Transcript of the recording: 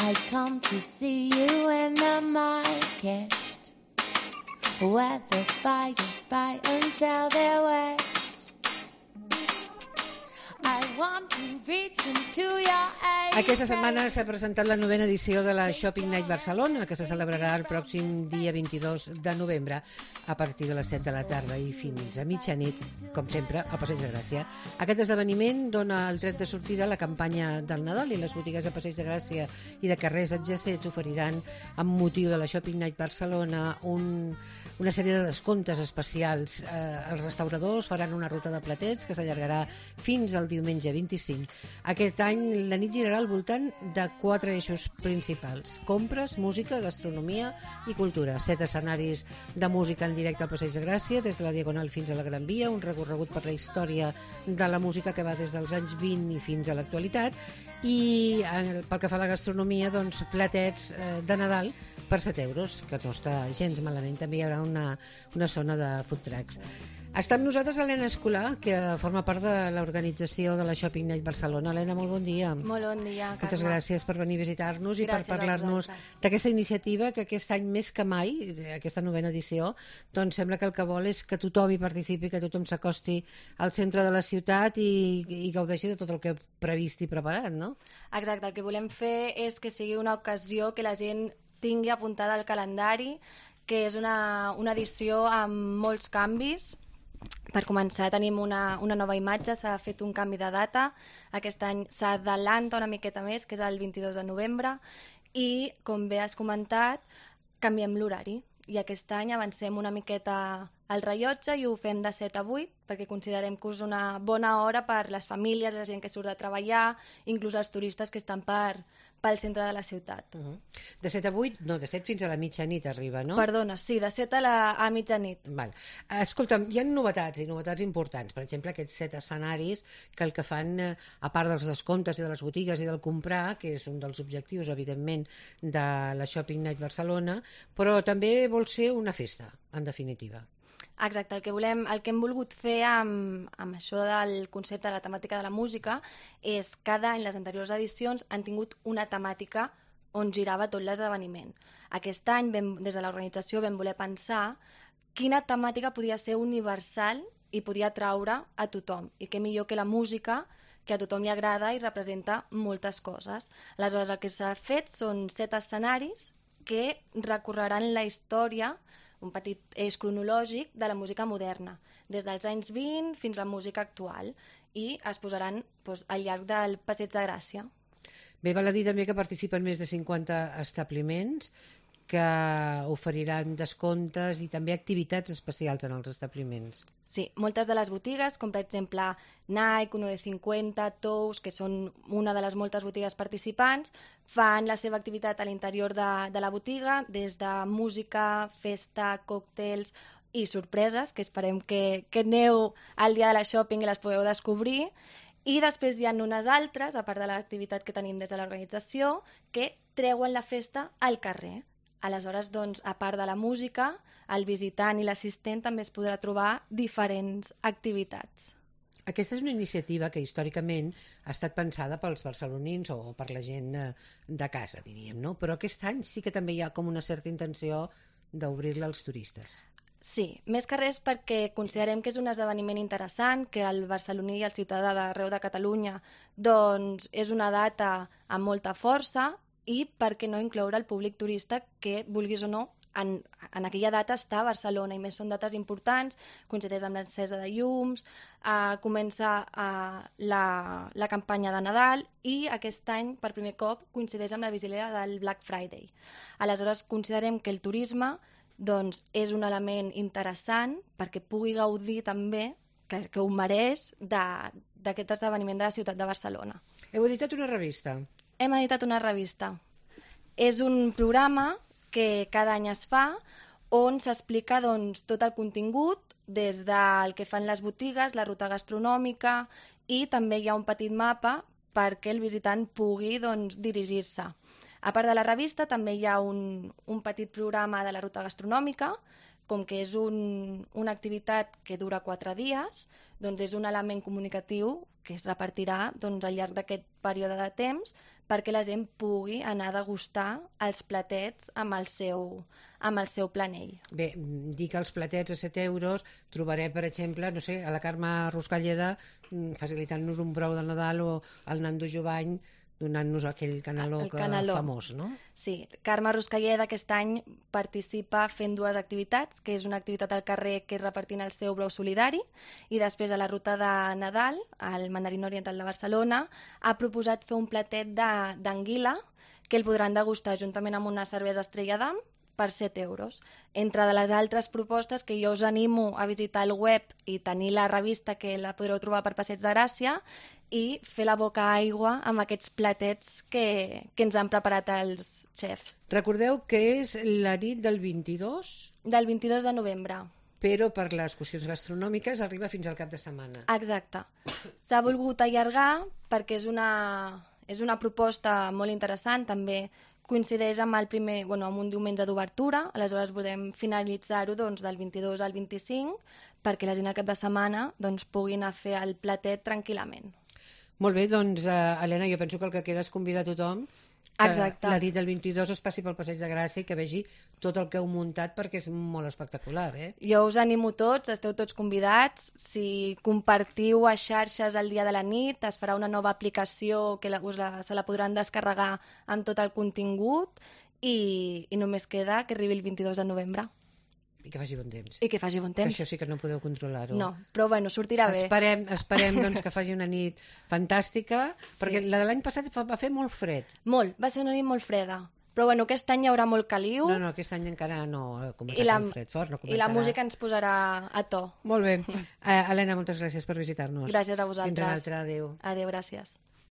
I come to see you in the market, where the buyers buy and sell their wares. I want to reach into your eyes. Aquesta setmana s'ha presentat la 9ª edició de la Shopping Night Barcelona, que se celebrarà el pròxim dia 22 de novembre a partir de les 7 de la tarda i fins a mitjanit, com sempre, al Passeig de Gràcia. Aquest esdeveniment dona el tret de sortida a la campanya del Nadal i les botigues de Passeig de Gràcia i de carrers adjacents oferiran, amb motiu de la Shopping Night Barcelona, una sèrie de descomptes especials. Els restauradors faran una ruta de platets que s'allargarà fins al diumenge 25. Aquest any la nit girarà al voltant de 4 eixos principals: compres, música, gastronomia i cultura. 7 escenaris de música en directe al Passeig de Gràcia, des de la Diagonal fins a la Gran Via, un recorregut per la història de la música que va des dels anys 20 i fins a l'actualitat, i pel que fa a la gastronomia, doncs platets de Nadal per 7 euros, que no està gens malament. També hi haurà una zona de food trucks. Està amb nosaltres Helena Escolà, que forma part de l'organització de la Shopping Night Barcelona. Helena, molt bon dia. Molt bon dia, Carme. Moltes gràcies per venir a visitar-nos i per Gràcies a parlar-nos vosaltres. d'aquesta iniciativa que aquest any més que mai, aquesta 9ª edició, doncs sembla que el que vol és que tothom hi participi, que tothom s'acosti al centre de la ciutat i gaudeixi de tot el que he previst i preparat, no? Exacte, el que volem fer és que sigui una ocasió que la gent tingui apuntada al calendari, que és una edició amb molts canvis. Per començar, tenim una nova imatge, s'ha fet un canvi de data. Aquest any s'adelanta una miqueta més, que és el 22 de novembre, i, com bé has comentat, canviem l'horari. I aquest any avancem una miqueta al rellotge i ho fem de 7 a 8, perquè considerem que és una bona hora per les famílies, la gent que surt de treballar, inclús els turistes que estan pel centre de la ciutat. De 7 a 8, no, de 7 fins a la mitjanit arriba, no? Perdona, sí, de 7 a mitjanit. Val. Escolta'm, hi ha novetats i novetats importants. Per exemple, aquests 7 escenaris que el que fan, a part dels descomptes i de les botigues i del comprar, que és un dels objectius, evidentment, de la Shopping Night Barcelona, però també vol ser una festa, en definitiva. Exacte, el que hem volgut fer amb això del concepte de la temàtica de la música és cada any, les anteriors edicions han tingut una temàtica on girava tot l'esdeveniment. Aquest any, des de l'organització, vam voler pensar quina temàtica podia ser universal i podia atraure a tothom. I què millor que la música, que a tothom li agrada i representa moltes coses. Aleshores, el que s'ha fet són 7 escenaris que recorreran la història, un petit eix cronològic de la música moderna, des dels anys 20 fins a música actual, i es posaran al llarg del Passeig de Gràcia. Bé, val a dir també que participen més de 50 establiments que oferiran descomptes i també activitats especials en els establiments. Sí, moltes de les botigues, com per exemple Nike, 1,50, Tous, que són una de les moltes botigues participants, fan la seva activitat a l'interior de la botiga, des de música, festa, còctels i sorpreses, que esperem que aneu al dia de la shopping i les podeu descobrir. I després hi ha unes altres, a part de l'activitat que tenim des de l'organització, que treuen la festa al carrer. Aleshores, doncs, a part de la música, el visitant i l'assistent també es podrà trobar diferents activitats. Aquesta és una iniciativa que històricament ha estat pensada pels barcelonins o per la gent de casa, diríem, no? Però aquest any sí que també hi ha com una certa intenció d'obrir-la als turistes. Sí, més que res perquè considerem que és un esdeveniment interessant, que el barceloní i el ciutadà d'arreu de Catalunya doncs, és una data amb molta força, i per què no incloure el públic turista que, vulguis o no, en aquella data està a Barcelona, i més són dates importants, coincideix amb l'encesa de llums, comença la campanya de Nadal, i aquest any, per primer cop, coincideix amb la vigília del Black Friday. Aleshores, considerem que el turisme doncs, és un element interessant perquè pugui gaudir també, que ho mereix, d'aquest esdeveniment de la ciutat de Barcelona. Heu editat una revista. Hem editat una revista. És un programa que cada any es fa on s'explica doncs, tot el contingut, des del que fan les botigues, la ruta gastronòmica, i també hi ha un petit mapa perquè el visitant pugui doncs, dirigir-se. A part de la revista també hi ha un petit programa de la ruta gastronòmica, com que és una activitat que dura 4 dies, doncs és un element comunicatiu que es repartirà doncs, al llarg d'aquest període de temps perquè la gent pugui anar a degustar els platets amb el seu planell. Bé, dir que els platets a 7 euros trobarem, per exemple, no sé, a la Carme Ruscalleda facilitant-nos un brou de Nadal o el Nando Jovany donant-nos aquell caneló, famós, no? Sí, Carme Ruscalleda aquest any participa fent 2 activitats, que és una activitat al carrer que és repartint el seu brou solidari, i després a la ruta de Nadal, al Mandarín Oriental de Barcelona, ha proposat fer un platet d'anguila que el podran degustar juntament amb una cervesa Estrella d'Am per 7 euros. Entre de les altres propostes que jo us animo a visitar el web i tenir la revista, que la podreu trobar per Passeig de Gràcia, i fer la boca aigua amb aquests platets que ens han preparat els xefs. Recordeu que és la nit del 22? Del 22 de novembre. Però per les qüestions gastronòmiques arriba fins al cap de setmana. Exacte. S'ha volgut allargar perquè és una proposta molt interessant, també coincideix amb amb un diumenge d'obertura, aleshores podem finalitzar-ho del 22 al 25 perquè la gent al cap de setmana pugui anar a fer el platet tranquil·lament. Molt bé, doncs, Helena, jo penso que el que queda és convidar a tothom que la nit del 22 es passi pel Passeig de Gràcia i que vegi tot el que heu muntat perquè és molt espectacular, Jo us animo tots, esteu tots convidats. Si compartiu a xarxes el dia de la nit, es farà una nova aplicació que se la podran descarregar amb tot el contingut i només queda que arribi el 22 de novembre. I que faci bon temps. I que faci bon temps. Que això sí que no podeu controlar-ho. No, però sortirà bé. Esperem que faci una nit fantàstica, perquè la de l'any passat va fer molt fred. Molt, va ser una nit molt freda. Però aquest any hi haurà molt caliu. No, aquest any encara no ha començat el fred fort. No començarà. I la música ens posarà a to. Molt bé. Helena, moltes gràcies per visitar-nos. Gràcies a vosaltres. Fins una altra, adéu. Adéu, gràcies.